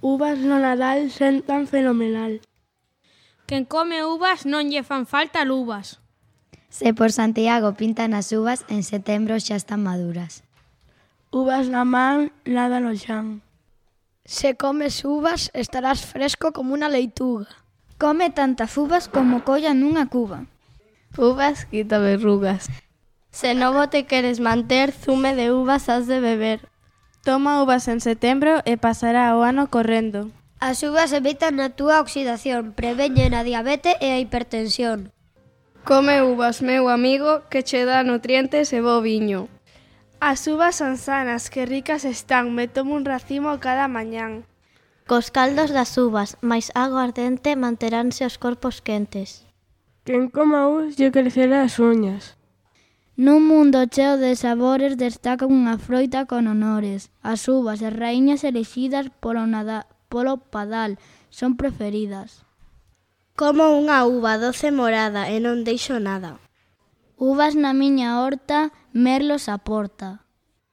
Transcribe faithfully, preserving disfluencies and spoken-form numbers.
Uvas no Nadal sentan fenomenal. Quen come uvas non lle fan falta luvas. Se por Santiago pintan as uvas, en setembro xa están maduras. Uvas na man, nada no xan. Se comes uvas, estarás fresco como unha leituga. Come tantas uvas como colla nunha cuba. Uvas quita verrugas. Se novo te queres manter, zume de uvas has de beber. Toma uvas en setembro e pasará o ano correndo. As uvas evitan a túa oxidación, preveñen a diabetes e a hipertensión. Come uvas, meu amigo, que che dá nutrientes e bo viño. As uvas son sanas, que ricas están, me tomo un racimo cada mañán. Cos caldos das uvas, máis agua ardente manteránse os corpos quentes. Quen coma uvas lle crecerá as uñas. Nun mundo cheo de sabores destaca unha froita con honores. As uvas e raíñas elixidas polo, nada, polo padal son preferidas. Como unha uva doce morada e non deixo nada. Uvas na miña horta, merlos a porta.